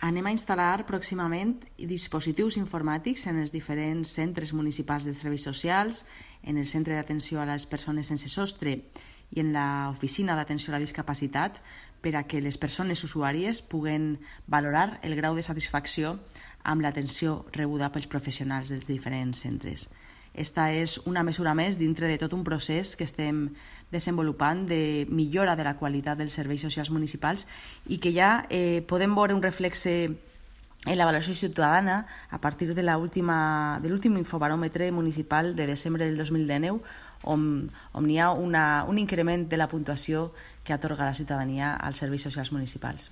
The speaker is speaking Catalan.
Anem a instal·lar pròximament dispositius informàtics en els diferents centres municipals de serveis socials, en el centre d'atenció a les persones sense sostre i en l'oficina d'atenció a la discapacitat, per a que les persones usuàries puguen valorar el grau de satisfacció amb l'atenció rebuda pels professionals dels diferents centres. Esta és una mesura més dintre de tot un procés que estem desenvolupant de millora de la qualitat dels serveis socials municipals i que ja podem veure un reflexe en la valoració ciutadana a partir de l'últim infobaròmetre municipal de desembre del 2019, on hi ha un increment de la puntuació que atorga la ciutadania als serveis socials municipals.